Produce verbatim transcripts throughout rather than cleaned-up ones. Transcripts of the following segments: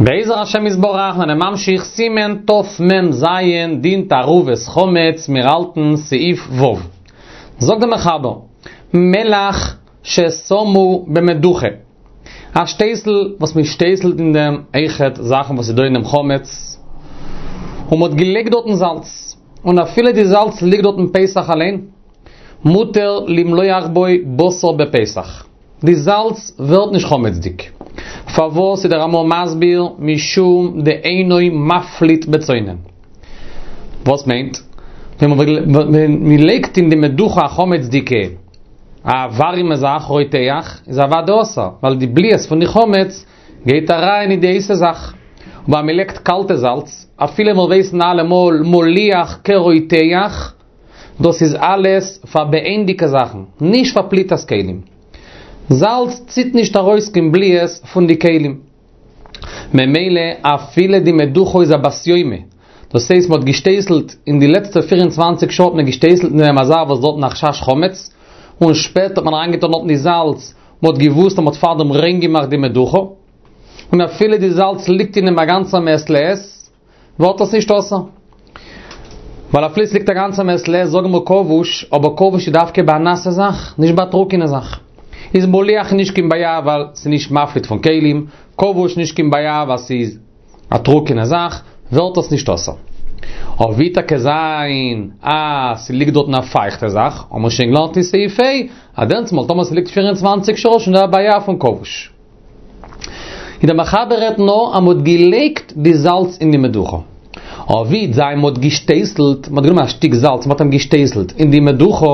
בעזר השם יתברך זענען ממשיך סימן תמ"ז דין תערובת חמץ מיר האלטן סעיף ו'. זאגט דער מחבר, מלח ששמו במדוכה, א שטייסל וואס מען שטייסלט אין דעם אויכעט זאכן וואס איז דא אין דעם חמץ, און מען האט געלייגט דארטן זאלץ, און אפילו די זאלץ ליגט דארטן פסח אליין, מותר למלוח בו בשר בפסח. די זאלץ ווערט נישט חמצ'דיג. פארוואס איז דער רמ"א מסביר משום דאינו מפליט בצונן. וואס מיינט? ווען מען לייגט אין די מדוכה א חמצ'דיגע א ווארימע זאך רותח איז אוודאי אסור, ווייל די בליעות פון די חמץ גייט אריין אין די הייסע זאך. אבער אז מען לייגט קאלטע זאלץ, אפילו מיר ווייסן אלעמאל מליח כרותח, דאס איז אלעס פאר בייענדיגע זאכן, נישט פאר פליטת כלים. זאלץ ציט נישט ארויס קיין בליעות פון די כלים. ממילא אפילו די מדוכה איז א בת יומא, דאס הייסט מ'האט געשטייסלט אין די לעצטע פֿיר און צוואַנציק שעה האט מען געשטייסלט אין דעם א זאך וואס דארטן א חשש חמץ, און שפעטער האט מען אריינגעטאן דארטן די זאלץ, מ'האט געוואוסט אז מ'האט פארדעם ריין געמאכט די מדוכה, און אפילו די זאלץ ליגט אין דעם א גאנצע מעת לעת, ווערט עס נישט אסור. ווייל אפילו עס ליגט א גאנצע מעת לעת זאגן מיר כבוש, אבער כבוש איז דווקא ביי א נאסע זאך, נישט ביי א טרוקענע זאך. איז מליח נישט קיין בעיה ווייל ס'איז נישט מפליט פון כלים, כבוש נישט קיין בעיה ווייל ס'איז א טרוקענע זאך, ווערט עס נישט אסור. אבער ווי טאקע זיין אז ס'ליגט דארטן א פייכטע זאך, האבן מיר שוין געלערנט אין סעיף ה', אז דענסטמאל טאמער ס'ליגט פֿיר און צוואַנציק שעה איז שוין דא א בעיה פון כבוש. און דער מחבר רעדט נאר אז מ'האט געלייגט די זאלץ אין די מדוכה. אבער ווי זיין מ'האט געשטייסלט, מ'האט גענומען א שטיק זאלץ מ'האט אים געשטייסלט אין די מדוכה,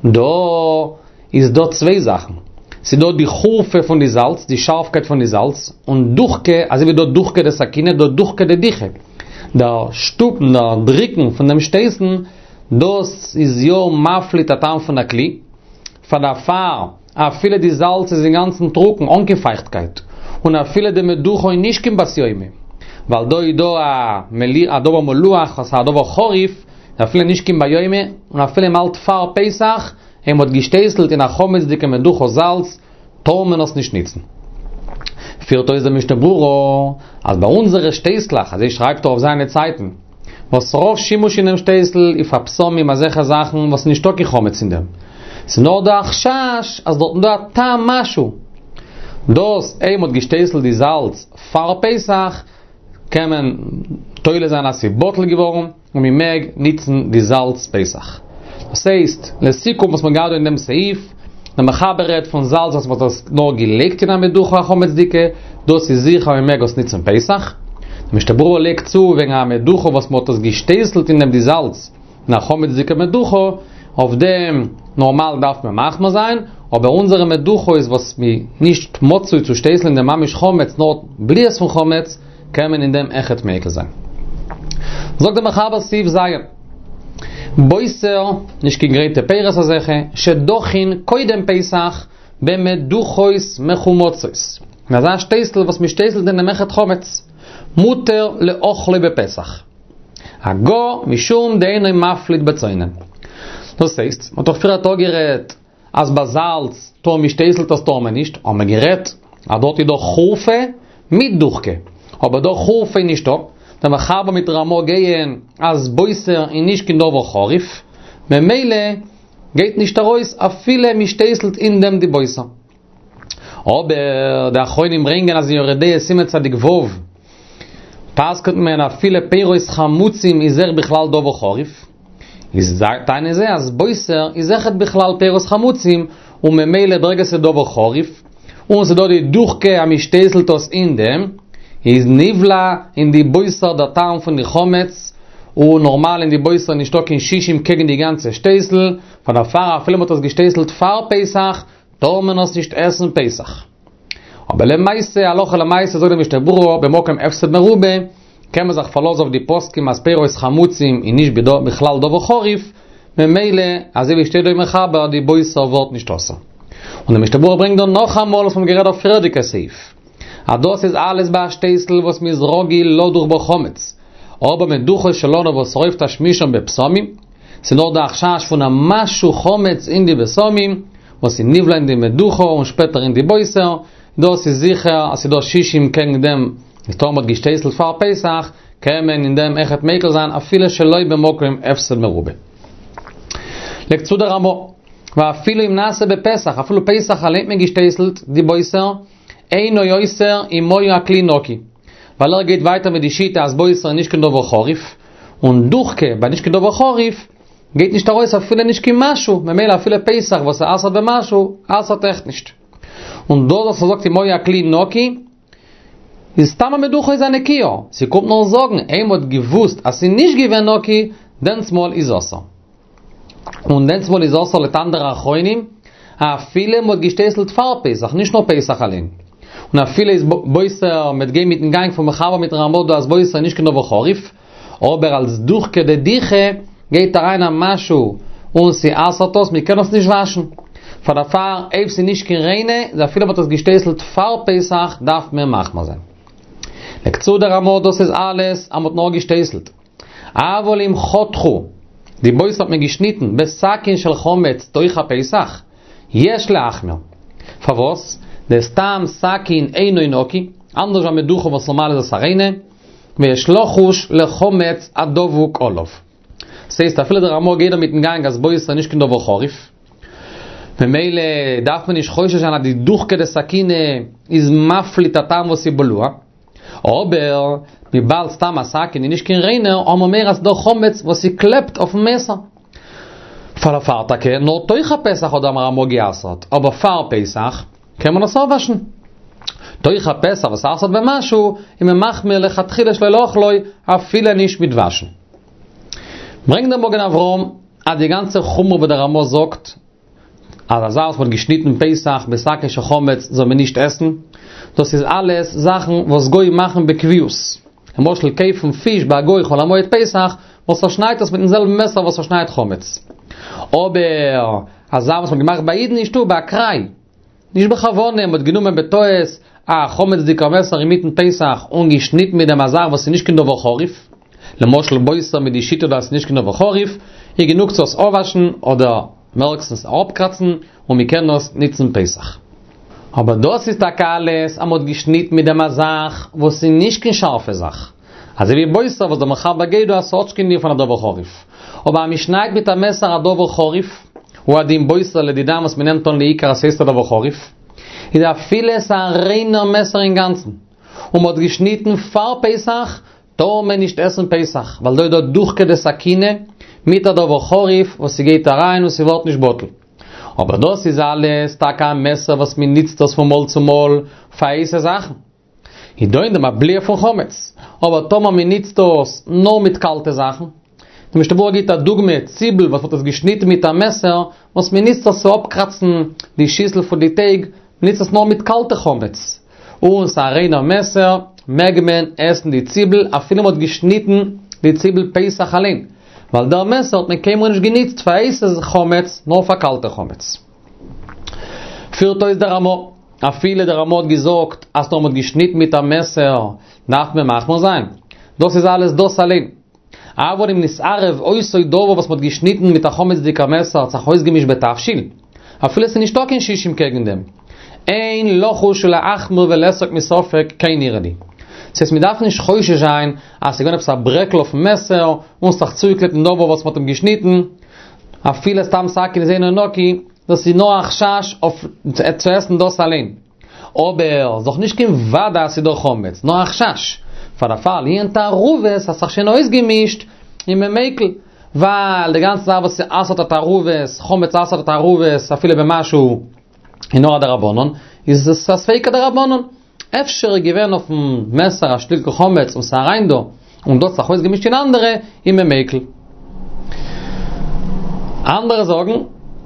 דא איז דא צוויי זאכן. ס'איז דא די חורפה פון די זאלץ, די שארפקייט פון די זאלץ, און דוחקא, אזוי ווי דא דוחקא דסכינא, דא דוחקא דדיחא. דער שטופן, דער דריקן פון דעם שטייסן, דאס איז יא מפליט א טעם פון א כלי. פאר דערפאר, אפילו די זאלץ איז אינגאנצן טרוקן, אן קיין פייכטקייט, און אפילו די מדוכה איז נישט קיין בת יומא, ווייל דא איז דא א מלי א דבר מלוח וואס איז א דבר חריף, אפילו נישט קיין בת יומא, און אפילו מ'האלט פאר פסח, און מ'האט געשטייסלט אין א חמצ'דיגע מדוכה זאלץ, טאר מען עס נישט ניצן. פירט אויס דער משנה ברורה, אז ביי אונזערע שטייסלעך, אזוי שרייבט ער אויף זיינע צייטן, וואס רוב שימוש אינעם שטייסל איז פאר בשמים אזעלכע זאכן וואס איז נישטא קיין חמץ אין דעם. ס'איז נאר דא א חשש אז דארטן דא א טעם משהו. דאס אויב מ'האט געשטייסלט די זאלץ פאר פסח קען מען תולה זיין אז ס'איז בטל געווארן און מ'מעג ניצן די זאלץ פסח. דאס הייסט, לסיכום וואס מ'האט געהאט דא אין דעם סעיף, דער מחבר רעדט פון זאלץ וואס מ'האט עס נאר געלייגט אין א מדוכה א חמצ'דיגע, דאס איז זיכער אז מ'מעג עס ניצן פסח. דער משנה ברורה לייגט צו וועגן א מדוכה וואס מ'האט עס געשטייסלט אין דעם די זאלץ אין א חמצ'דיגע מדוכה, אויף דעם נארמאל דארף מען מחמיר זיין, אבער אונזערע מדוכות וואס מ'איז נישט מצוי צו שטייסלען אין דעם ממש חמץ נאר בליעות פון חמץ, קען מען אין דעם אויכעט מיקל זיין. זאגט דער מחבר סעיף ז'. בוסר, נישט קיין גרייטע פירות אזעלכע, שדכין קודם פסח במדוכות מחומצות. אין אזא שטייסל וואס מען שטייסלט אין דעם אויכעט חמץ. מותר לאוכלו בפסח. הגה משום דאינו מפליט בצונן. דאס הייסט, מען האט דאך פריער אפגערעדט אז ביי זאלץ טאמער מ'שטייסלט עס טאר מען נישט, האבן מיר גערעדט אז דארט איז דא חורפה מיט דוחקא, אבער דא חורפה איז נישטא, דער מחבר מיט רמא גייען אז בוסר איז נישט קיין דבר חריף, ממילא גייט נישט ארויס אפילו מ'שטייסלט אין דעם די בוסר. אבער די אחרונים ברענגען אז אין יורה דעה סימן צדיק ו' פסק'נט מען אפילו פירות חמוצים איז אויך בכלל דבר חריף, איז טענה'ן זיי אז בוסר איז אויכעט בכלל פירות חמוצים און ממילא ברגע ס'איז דבר חריף און ס'איז דא די דוחקא אז מ'שטייסלט עס אין דעם איז נבלע אין די בוסר דער טעם פון די חמץ און נארמאל אין די בוסר נישטא קיין שישים קעגן די גאנצע שטייסל פאר דערפאר אפילו מ'האט עס געשטייסלט פאר פסח טאר מען עס נישט עסן פסח. אבער למעשה, הלכה למעשה זאגט די משנה ברורה, במקום הפסד מרובה, קען מען זיך פארלאזן אויף די פוסקים אז פירות חמוצים איז נישט בכלל דבר חריף, ממילא, אזוי ווי שטייט דא אין מחבר, די בוסר ווערט נישט אסור. און די משנה ברורה ברענגט דא נאכאמאל וואס מ'האט גערעדט אויף פריערדיגע סעיף, אז דאס איז אלעס ביי א שטייסל וואס מ'איז רגיל לדוך בו חמץ, אבער מדוכות שלנו וואס רוב תשמישם בבשמים, ס'איז נאר דא א חשש פון א משהו חמץ אין די בשמים, וואס איז נבלע אין די מדוכה און שפעטער אין די בוסר, דאס איז זיכער אז ס'איז דא שישים קעגן דעם איז טאמער מ'האט געשטייסלט פאר פסח, קען מען אין דעם אויכעט מיקל זיין אפילו שלא במקום הפסד מרובה. לייגט צו דער רמא, ואפילו אם נעשה בפסח, אפילו פסח אליין האט מען געשטייסלט די בוסר, אינו אוסר אם היה הכלי נקי. ווייל ער גייט ווייטער מיט די שיטה אז בוסר איז נישט קיין דבר חריף, און דוחקא ביי נישט קיין דבר חריף גייט נישט ארויס אפילו נישט קיין משהו, ממילא אפילו פסח וואס אסר'ט במשהו, אסר'ט אויכעט נישט. און דאס וואס ער זאגט אם היה הכלי נקי, איז סתם א מדוכה איז א נקיה, ס'קומט נאר זאגן אויב מ'האט געוואוסט אז ס'איז נישט געווען נקי, דענסמאל איז אסור. און דענסמאל איז אסור לויט אנדערע אחרונים, אפילו מ'האט געשטייסלט פאר פסח, נישט נאר פסח אליין. און אפילו איז בוסר מ'וועט גיין מיטן גאנג פון מחבר מיטן רמא דא אז בוסר איז נישט קיין דבר חריף, אבער אלס דוחקא דדיחא גייט אריין א משהו און ס'אסר'ט עס, מ'קען עס נישט וואשן. פאר דערפאר אויב ס'איז נישט קיין ריינע, איז אפילו מ'האט עס געשטייסלט פאר פסח דארף מען מחמיר זיין. לייגט צו דער רמא דאס איז אלעס אז מ'האט נאר געשטייסלט. אבל אם חתכו, די בוסר האט מען געשניטן בסכין של חמץ תוך הפסח, יש להחמיר. פארוואס? דסתם סכין אינו נקי, אנדערש ווי א מדוכה וואס נארמאל איז עס א ריינע, ויש לחוש לחמץ הדבוק עליו. ס'הייסט אפילו דער רמא גייט דא מיטן גאנג אז בוסר איז נישט קיין דבר חריף, ממילא דארף מען נישט חושש זיין אז די דוחקא דסכינא איז מפליט א טעם וואס איז בלוע, אבער וויבאלד סתם א סכין איז נישט קיין ריינער, האבן מיר מורא אז ס'דא חמץ וואס ס'קלעבט אויפן מעסער. פאר דערפאר טאקע נאר תוך הפסח האט דער רמא גע'אסר'ט, אבער פאר פסח קען מען עס אפוואשן. תוך הפסח וואס אסר'ט במשהו, איז מען מחמיר לכתחילה שלא לאכלו אפילו נישט מיט וואשן. ברענגט דער מגן אברהם אז די גאנצע חומרא וואס דער רמא זאגט אז א זאך וואס מ'האט געשניטן פסח בסכין של חמץ זאל מען נישט עסן, דאס איז אלעס זאכן וואס גוים מאכן בקביעות. למשל קויפן פיש ביי א גוי חול המועד פסח וואס ער שניידט עס מיטן זעלבן מעסער וואס ער שניידט חמץ. אבער א זאך וואס מ'האט געמאכט ביי אידן אין שטוב באקראי, נישט בכוונה, מ'האט גענומען בטעות א חמצ'דיגער מעסער אינמיטן פסח און געשניטן מיט דעם א זאך וואס איז נישט קיין דבר חריף, למשל בוסר מיט די שיטה דאס איז נישט קיין דבר חריף, איז גענוג צו עס אפוואשן אדער מערסטנס אראפקראצן און מ'קען עס ניצן פסח. אבער דאס איז טאקע אלעס אז מ'האט געשניטן מיט דעם א זאך וואס איז נישט קיין שארפע זאך, אזוי ווי בוסר וואס דער מחבר גייט דא אז ס'האט נישט קיין דין פון א דבר חריף. אבער אז מ'שניידט מיט א מעסער א דבר חריף, הוא הדין בוסר לדידן וואס מ'נעמט אן לעיקר אז ס'הייסט א דבר חריף, איז אפילו עס א ריינער מעסער אינגאנצן, און מ'האט געשניטן פאר פסח, טאר מען נישט עסן פסח, ווייל דא איז דא דוחקא דסכינא מיט א דבר חריף וואס ס'גייט אריין און ס'ווערט נישט בטל. אבער דאס איז אלעס טאקע א מעסער וואס מ'ניצט דאס פון מאל צו מאל פאר הייסע זאכן. איז דא אין דעם א בליעה פון חמץ. אבער טאמער מען ניצט דאס נאר מיט קאלטע זאכן, די משנה ברורה גיבט א דוגמא, ציבל וואס מ'האט עס געשניטן מיט א מעסער, וואס מען ניצט עס צו אפקראצן די שיסל פון די טייג, מען ניצט עס נאר מיט קאלטע חמץ, און ס'איז א ריינער מעסער, מעג מען עסן די ציבל אפילו מ'האט געשניטן די ציבל פסח אליין, ווייל דער מעסער האט מען קיינמאל נישט געניצט פאר הייסע חמץ, נאר פאר קאלטע חמץ. פירט אויס דער רמא, אפילו דער רמא האט געזאגט אז טאמער מ'האט געשניטן מיט א מעסער דארף מען מחמיר זיין, דאס איז אלעס דאס אליין. אבל אם נתערב אותו דבר וואס מ'האט געשניטן מיט א חמצ'דיגע מעסער האט זיך אויסגעמישט בתבשיל, אפילו ס'איז נישטא קיין שישים קעגן דעם, אין לחוש ולהחמיר ולאסוק מספק כן נראה לי. ס'הייסט מ'דארף נישט חושש זיין אז ס'איז געווען עפעס א ברעקל אויפן מעסער און ס'האט זיך צוגעקלעבט דעם דבר וואס מ'האט אים געשניטן, אפילו סתם סכין איז אינו נקי, דאס איז נאר א חשש אויף צו עסן דאס אליין. אבער ס'איז דאך נישט קיין וודאי אז ס'איז דא חמץ, נאר א חשש. פאר דערפאר לענין תערובות האט זיך שוין אויסגעמישט איז מען מיקל, ווייל די גאנצע זאך וואס ס'אסר'ט א תערובת, חמץ אסר'ט א תערובת אפילו במשהו איז נאר א דרבנן, איז עס א ספיקא דרבנן. אפשר איז געווען אויפן מעסער א שטיקל חמץ און ס'איז אריין דא, און דאס האט זיך אויסגעמישט אין אנדערע, איז מען מיקל. אנדערע זאגן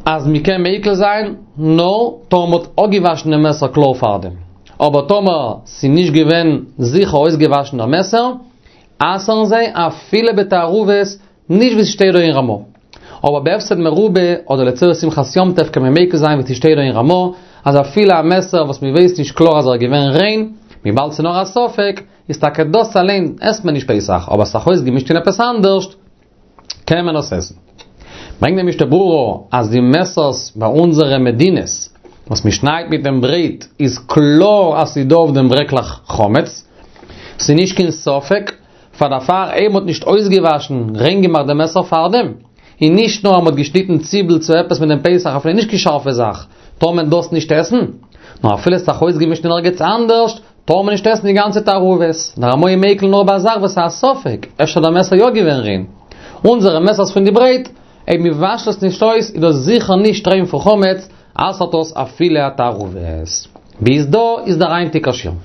אז מ'קען מיקל זיין נאר טאמער מ'האט אפגעוואשן דעם מעסער קלאר פארדעם. אבער טאמער ס'איז נישט געווען זיכער אויסגעוואשן דער מעסער, אסר'ן זיי אפילו בתערובות נישט ווי ס'שטייט דא אין רמא. אבער בהפסד מרובה אדער לצורך שמחת יום טוב קען מען מיקל זיין ווי ס'שטייט דא אין רמא, אז אפילו א מעסער וואס מ'ווייסט נישט קלאר אז ער איז געווען ריין, וויבאלד ס'איז נאר א ספק, איז טאקע דאס אליין עסט מען נישט פסח, אבער ס'זיך אויסגעמישט אין עפעס אנדערשט, קען מען עס עסן. ברענגט דער משנה ברורה אז די מעסערס ביי אונזערע מדינות וואס מ'שניידט מיט דעם ברויט איז קלאר אז ס'איז דא אויף דעם ברעקלעך חמץ, ס'איז נישט קיין ספק, פאר דערפאר אויב מ'האט נישט אויסגעוואשן, ריין געמאכט דעם מעסער פארדעם, און נישט נאר אז מ'האט געשניטן ציבל צו עפעס מיט דעם פתח אפילו נישט קיין שארפע זאך, טאר מען דאס נישט עסן, נאר אפילו ס'האט זיך אויסגעמישט אין ערגעץ אנדערשט, טאר מען נישט עסן די גאנצע תערובת. דער רמ"א איז מיקל נאר ביי א זאך וואס איז א ספק, אפשר דער מעסער יא געווען ריין. אונזערע מעסערס פון די ברויט, אויב מען וואשט עס נישט אויס איז דאס זיכער נישט ריין פון חמץ, אסר'ט דאס אפילו א תערובת. ביז דא איז דער היינטיגער שיעור.